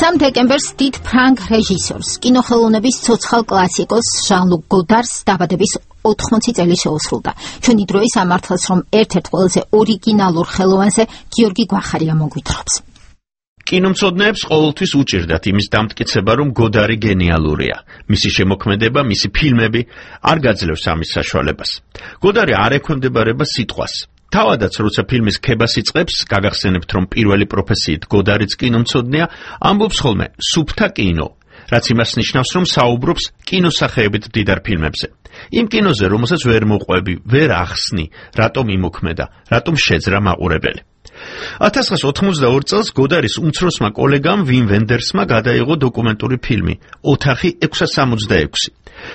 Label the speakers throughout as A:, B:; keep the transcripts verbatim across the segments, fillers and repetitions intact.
A: სამ დეკემბერს დიდ ფრანგ რეჟისორს, კინოხელოვნების ცოცხალ კლასიკოს ჟან-ლუკ გოდარს დაბადების ოთხმოცი წელი შეუსრულდა. ჩვენი დროის ამართლას, რომ ერთ-ერთ ყველაზე ორიგინალურ ხელოვანზე გიორგი გვახარია მოგვითხრობს.
B: კინომცოდნეებს ყოველთვის უჭირდათ იმის დამტკიცება, რომ გოდარი გენიალურია. მისი შემოქმედება, მისი ფილმები არ გაძლევს ამის საშუალებას. გოდარი არ ექვემდებარება სიტყვას. თავადაც, როცა ფილმის ქებას იწყებს, გაგახსენებთ, რომ პირველი პროფესიით გოდარიც კინომცოდნეა, ამბობს ხოლმე სუფთა კინო, რაც იმას ნიშნავს, რომ საუბრობს კინოსახეებით მდიდარ ფილმებზე. იმ კინოზე, რომელსაც ვერ მოყვები, ვერ ახსნი, რატომ იმოქმედა, რატომ შეძრა მაყურებელი. ათას ცხრაასა ოთხმოცდაორი წელს გოდარის უმცროსმა კოლეგამ ვიმ ვენდერსმა გადაიღო დოკუმენტური ფილმი ოთახი ექვსას სამოცდაექვსი.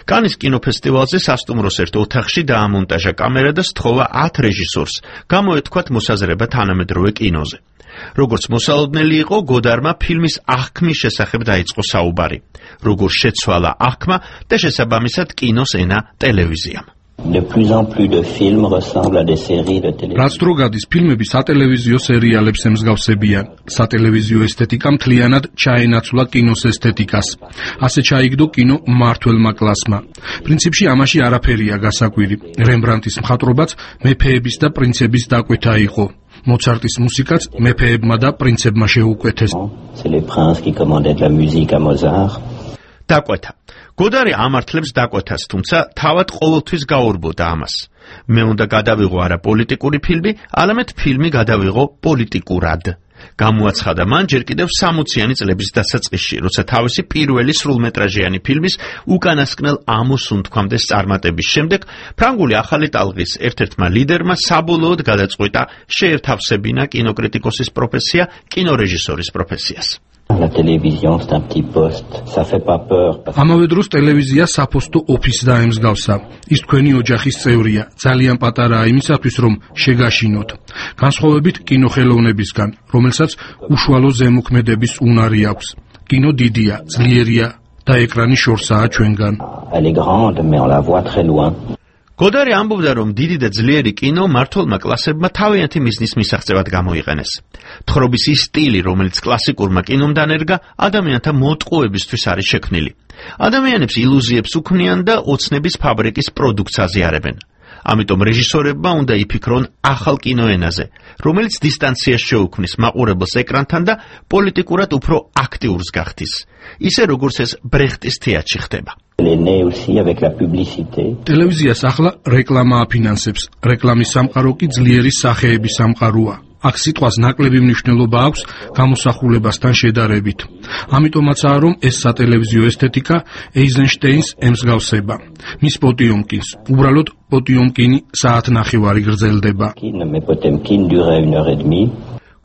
B: კანის კინოფესტივალზე სასტუმროს ერთ ოთახში დაამონტაჟა კამერა და სთხოვა ათ რეჟისორს გამოეთქვათ მოსაზრება თანამედროვე კინოზე. როგორც მოსალოდნელი იყო, გოდარმა ფილმის აღქმის შესახებ დაიწყო საუბარი. როგორ შეცვალა აღქმა და შესაბამისად კინოს ენა ტელევიზიამ.
C: De plus en plus de films ressemblent à des séries de télévision.
D: რაც დრო გადის, ფილმები სატელევიზიო სერიალებს ემსგავსებიან. სატელევიზიო ესთეტიკა მთლიანად ჩაენაცვლა კინოს ესთეტიკას. ასე ჩაიგდო კინო მმართველმა კლასმა. პრინციპში ამაში არაფერია გასაკვირი. რემბრანდტის მხატვრობაც მეფეების და პრინცების დაკვეთა იყო. მოცარტის მუსიკაც მეფეებმა და პრინცებმა შეუკვეთეს.
C: C'est les princes qui commandaient de la musique à Mozart.
B: დაკვეთა. გოდარი ამართლებს დაკვეთას, თუმცა თავად ყოველთვის გაურბოდა ამას. მე უნდა გადავიღო არა პოლიტიკური ფილმი, არამედ ფილმი გადავიღო პოლიტიკურად. გამოაცხადა მან ჯერ კიდევ სამოციანი წლების დასაწყისში, როცა თავისი პირველი სრულმეტრაჟიანი ფილმის უკანასკნელ ამოსუნთქვამდეს წარმატების შემდეგ ფრანგული ახალი ტალღის ერთ-ერთმა ლიდერმა საბოლოოდ გადაწყვიტა შეეთავსებინა კინოკრიტიკოსის პროფესია კინორეჟისორის პროფესიას.
C: La télévision, c'est un petit poste. Ça fait pas peur.
D: ამავე დროს ტელევიზია საფოსტო ოფისს დაემსგავსა. ის თქვენი ოჯახის წევრია. ძალიან პატარაა იმისათვის, რომ შეგაშინოთ. განსხვავებით კინოხელოვნებისგან, რომელსაც უშუალო ზემოქმედების უნარი აქვს. კინო დიდია, ძლიერია და ეკრანი შორსაა ჩვენგან.
C: Elle est grande, mais on la voit très loin.
B: გოდარი ამბობდა, რომ დიდი და ძლიერი კინო მმართველმა კლასებმა თავიანთი მიზნის მისაღწევად გამოიყენეს. თხრობის ის სტილი, რომელიც კლასიკურმა კინომ დანერგა, ადამიანთა მოტყუებისთვის არის შექმნილი. ადამიანებს ილუზიებს უქმნიან და ოცნების ფაბრიკის პროდუქტს აზიარებენ. ამიტომ რეჟისორებმა უნდა იფიქრონ ახალ კინოენაზე, რომელიც დისტანციას შეუქმნის მაყურებელს ეკრანთან და პოლიტიკურად უფრო აქტიურს გახდის. ისე როგორც ეს ბრეხტის თეატრში ხდება.
D: ტელევიზიას ახლა რეკლამა აფინანსებს. რეკლამის სამყარო კი ძლიერი სახეების სამყაროა. აქ სიტყვას ნაკლები მნიშვნელობა აქვს გამოსახულებასთან შედარებით. ამიტომაცაა, რომ ეს სატელევიზიო ესთეტიკა ეიზენშტეინს ემსგავსება. მის პოტიომკინს, უბრალოდ პოტიომკინი საათნახევარი გრძელდება.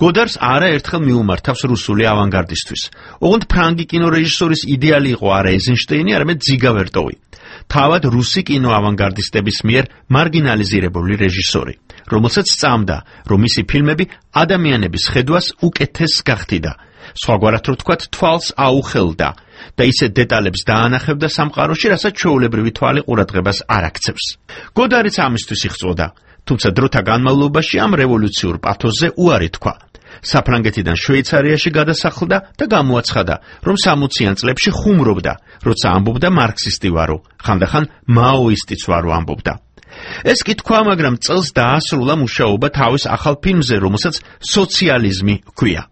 B: გოდარს არაერთხელ მიუმართავს რუსული ავანგარდისთვის. ოღონდ ფრანგი კინორეჟისორის იდეალი იყო არა ეიზენშტეინი, არამედ ძიგა ვერტოვი. თავად რუსი კინოავანგარდისტების მიერ მარგინალიზირებული რეჟისორი, რომელსაც სწამდა, რომ მისი ფილმები ადამიანების ხედვას უკეთეს გახდიდა, სხვაგვარად რო ვთქვათ, თვალს აუხელდა და ისე დეტალებს დაანახებდა სამყაროში, რასაც ჩვეულებრივი თვალი ყურადღებას არ აქცევს. გოდარიც ამისთვის იღწვოდა, თუმცა დროთა განმავლობაში ამ რევოლუციურ პათოსზე უარი თქვა. საფრანგეთიდან შვეიცარიაში გადასახლდა და გამოაცხადა, რომ სამოციან წლებში ხუმრობდა, როცა ამბობდა მარქსისტი ვარო, ხანდახან მაოისტიც ვარო ამბობდა. ეს კი თქვა, მაგრამ წელს დაასრულა მუშაობა თავის ახალ ფილმზე, რომელსაც სოციალიზმი ჰქვია.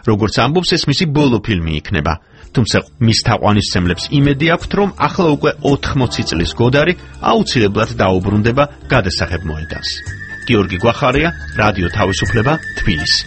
B: როგორც ამბობს, ეს მისი ბოლო ფილმი იქნება. თუმცა მის თაყვანისმცემლებს იმედი აქვთ, რომ ახლა უკვე ოთხმოცი წლის გოდარი აუცილებლად დაუბრუნდება გადასაღებ მოედანს. გიორგი გვახარია, რადიო თავისუფლება, თბილისი.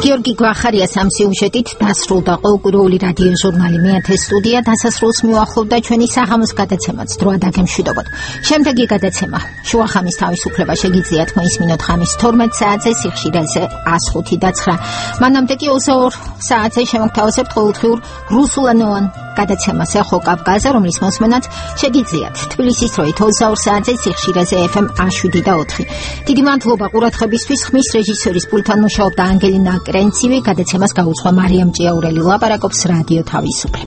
A: გიორგი გვახარიას ამ სიუჟეტით დასრულდა ყოველკვირეული რადიო ჟურნალი მეათე სტუდია. დასასრულს მიუახლოვდა ჩვენი საღამოს გადაცემაც. დრო დაგემშვიდობოთ. შემდეგი გადაცემა შუახამის თავისუფლება შეგიძლიათ მოისმინოთ ხამის თორმეტ საათზე სიხშირეზე ას ხუთი და ცხრა. მანამდე კი ოცდაორ საათზე შემოგთავაზებთ ყოველდღიურ რუსულენოვან გადაცემას ეხო კავკაზე, რომლის მოსმენაც შეგიძლიათ თბილისის დროით ოცდაორ საათზე სიხშირეზე ეფ ემ ას შვიდი და ოთხი. დიდი მადლობა ყურადღებისთვის. ხმის რეჟისორის პულტთან მუშაობდა ანგელინა კრენცივი, გადაცემას გაუძღვა მარიამ ჭიაურელი. ლაპარაკობს რადიო თავისუფლება.